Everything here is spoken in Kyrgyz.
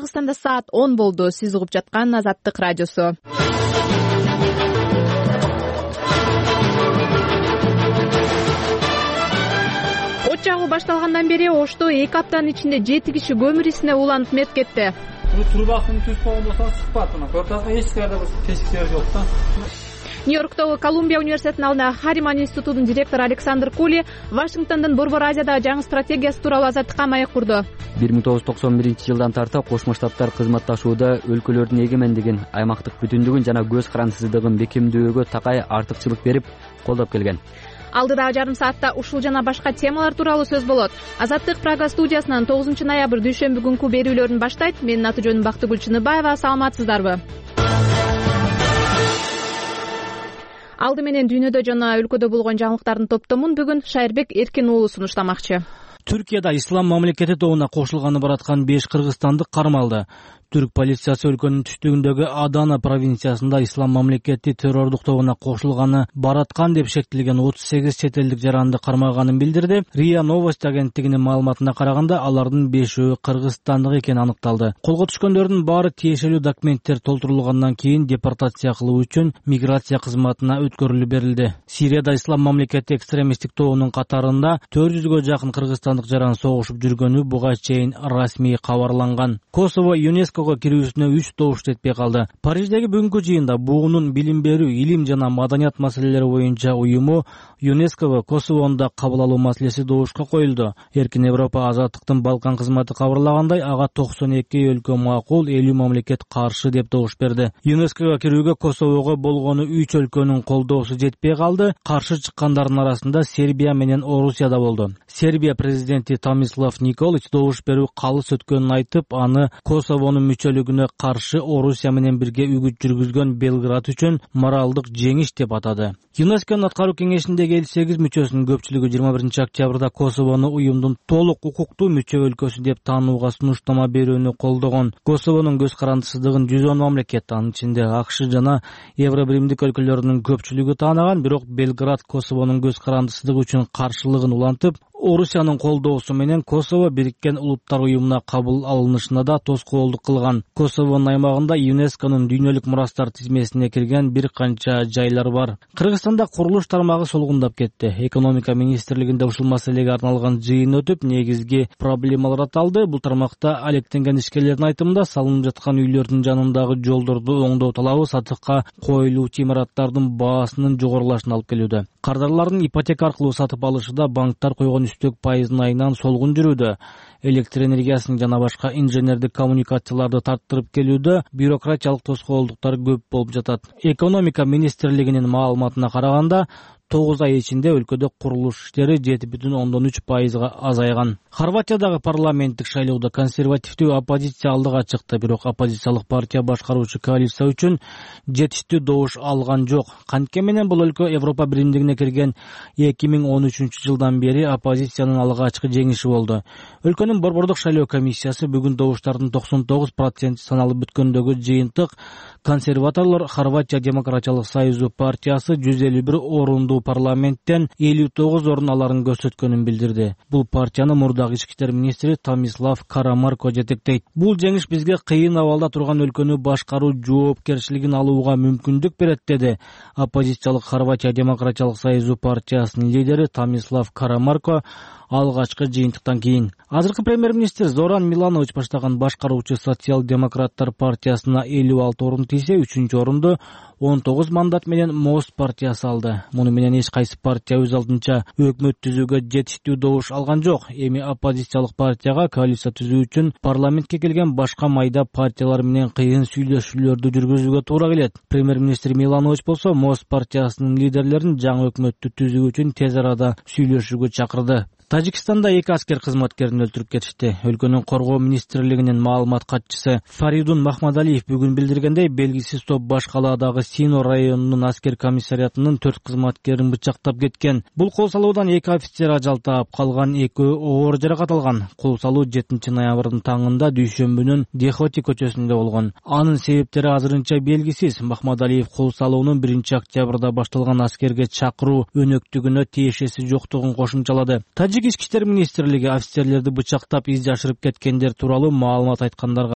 Кыргызстанда саат 10 болду. Сиз угуп жаткан Азаттык радиосу. От жагуу башталгандан бери Ошто 2 аптанын ичинде 7 киши көмүр исине уланып мерт кетти. Трубасын түз болгон болсо чыкпат. Мына көрүп атасыңар, эч кайда бир тешиктер жок да. Нью-Йорктогу Колумбия университетинин алдында Хариман институтунун директору Александр Кули Вашингтондун Борбор Азиядагы жаңы стратегиясы тууралуу Азаттыкка маек курду. 1991 жылдан тарта Кошмо Штаттар өлкөлөрдүн эгемендигин, аймактык бүтүндүгүн жана көз карандысыздыгын бекемдөөгө такай артыкчылык берип колдоп келген. Алдыдагы жарым саатта ушул жана башка темалар тууралуу сөз болот. Азаттык Прага студиясынан 9 ноябрь дүйшөмбү күнкү берүүлөрүн баштайт. Менин аты жөнүм Бактыгүл Чыныбаева. Саламатсыздарбы? Алды менен дүйнөдө жана өлкөдө болгон жаңылыктардын топтомун бүгүн Шайырбек Эркин уулу сунуштамакчы. Түркияда ислам мамлекети тобуна кошулганы бараткан 5 кыргызстандык кармалды. Түрк полициясы өлкөнүн түштүгүндөгү Адана провинциясында ислам мамлекети террордук тобуна кошулганы бараткан деп шектелген 38 чет элдик жаранды кармаганын билдирди. РИА Новости агенттигинин маалыматына караганда алардын 5-өө кыргызстандык экени аныкталды. Колго түшкөндөрдүн баары тиешелүү документтер толтурулгандан кийин депортация кылуу үчүн миграция кызматына өткөрүлүп берилди. Сирияда ислам мамлекети экстремисттик тобунун катарында 400гө жакын кыргызстандык жаран согушуп жүргөнү буга чейин расмий кабарланган. Косово ЮНЕСКОго кирүүсүнө 3 добуш жетпей калды. Париждеги бүгүнкү жыйында буунун билим берүү, илим жана маданият маселелери боюнча уюму ЮНЕСКОго Косовону кабыл алуу маселеси добушка коюлду. Эркин Европа азаттыктын Балкан кызматы кабарлагандай, ага 92 өлкө макул, 50 мамлекет каршы деп добуш берди. ЮНЕСКОго кирүүгө Косового болгону 3 өлкөнүн колдоосу жетпей калды. Каршы чыккандардын арасында Сербия менен Орусия да болду. Сербия президенти Томислав Николич добуш берүү калыс өткөнүн айтып, аны Косовонун мүчөлүгүнө каршы Орусия менен бирге үгүт жүргүзгөн Белград үчүн моралдык жеңиш деп атады. ЮНЕСКОнун аткаруу кеңешиндеги 58 мүчөсүнүн көпчүлүгү 21 октябрда Косовону уюмдун толук укуктуу мүчө өлкөсү деп таанууга сунуштама берүүнү колдогон. Косовонун көз карандысыздыгын 110 мамлекет, анын ичинде АКШ жана Евробиримдик өлкөлөрүнүн көпчүлүгү таанаган, бирок Белград Косовонун көз карандысыздыгы үчүн каршылыгын улантып, Орусиянын колдоосу менен Косово Бириккен Улуттар уюмуна кабыл алынышына да тоскоолдук кылган. Косовонун аймагында ЮНЕСКОнун дүйнөлүк мурастар тизмесине кирген бир канча жайлар бар. Кыргызстанда курулуш тармагы солгундап кетти. Экономика министрлигинде ушул маселеге арналган жыйын өтүп, негизги проблемалар аталды. Бул тармакта алектенген ишкерлердин айтымында салынып жаткан үйлөрдүн жанындагы жолдорду оңдоо талабы сатыкка коюлуучу имараттардын баасынын жогорулашына алып келүүдө. Кардарлардын ипотека аркылуу сатып алышында банктар койгон үстөк пайыздын айынан солгун жүрүүдө. Электр энергиясын жана башка инженердик коммуникацияларды тарттырып келүүдө бюрократиялык тоскоолдуктар көп болуп жатат. Экономика министрлигинин маалыматына караганда 9 ай ичинде өлкөдө курулуш иштери 7,3% азайган. Хорватиядагы парламенттик шайлоодо консервативдүү оппозиция алдыга чыкты, бирок оппозициялык партия башкаруучу коалиция үчүн жетиштүү добуш алган жок. Кантке менен бул өлкө Европа биримдигине кирген 2013 жылдан бери оппозициянын алгачкы жеңиши болду. Өлкөнүн борбордук шайлоо комиссиясы бүгүн добуштардын 99% саналып бүткөндөгү жыйынтык консерваторлор Хорватия демократиялык союзу партиясы 151 орунду парламенттен 59 орун аларын көрсөткөнүн билдирди. Бул партияны мурдагы ички иштер министри Томислав Карамарко жетектейт. Бул жеңиш бизге кыйын абалда турган өлкөнү башкаруу жоопкерчилигин алууга мүмкүндүк берет, деди оппозициялык Хорватия демократиялык союзу партиясынын лидери Томислав Карамарко алгачкы жыйынтыктан кийин. Азыркы премьер-министр Зоран Миланович баштаган башкаруучу социал-демократтар партиясына 56 орун тийсе, 3-чү орунду 19 мандат менен Мост партиясы алды. Муну менен эч кайсы партия өз алдынча өкмөт түзүүгө жетиштүү добуш алган жок. Эми оппозициялык партияга коалиция түзүү үчүн парламентке келген башка майда партиялар менен кыйын сүйлөшүүлөрдү жүргүзүүгө туура келет. Премьер-министр Миланович болсо Мост партиясынын лидерлерин жаңы өкмөттү түзүү үчүн тез арада сүйлөшүүгө чакырды. Тажикстанда 2 аскер кызматкерин өлтүрүп кетишти. Өлкөнүн коргоо министрлигинин маалымат катчысы Фаридун Махмадалиев бүгүн билдиргендей, белгисиз топ баш калаадагы Сино районунун аскер комиссариатынын 4 кызматкерин бычактап кеткен. Бул кол салуудан 2 офицер ажал таап калган, 2 оор жаракат алган. Кол салуу 7 ноябрдын таңында дүйшөмбүнүн Дехоти көчөсүндө болгон. Анын себептери азырынча белгисиз. Махмадалиев кол салуунун 1 октябрда башталган аскерге чакыруу өнөктүгүнө тиешеси жоктугун кошумчалады. Ички иштер министрлиги офицерлерди бычактап из жашырып кеткендер тууралуу маалымат айткандарга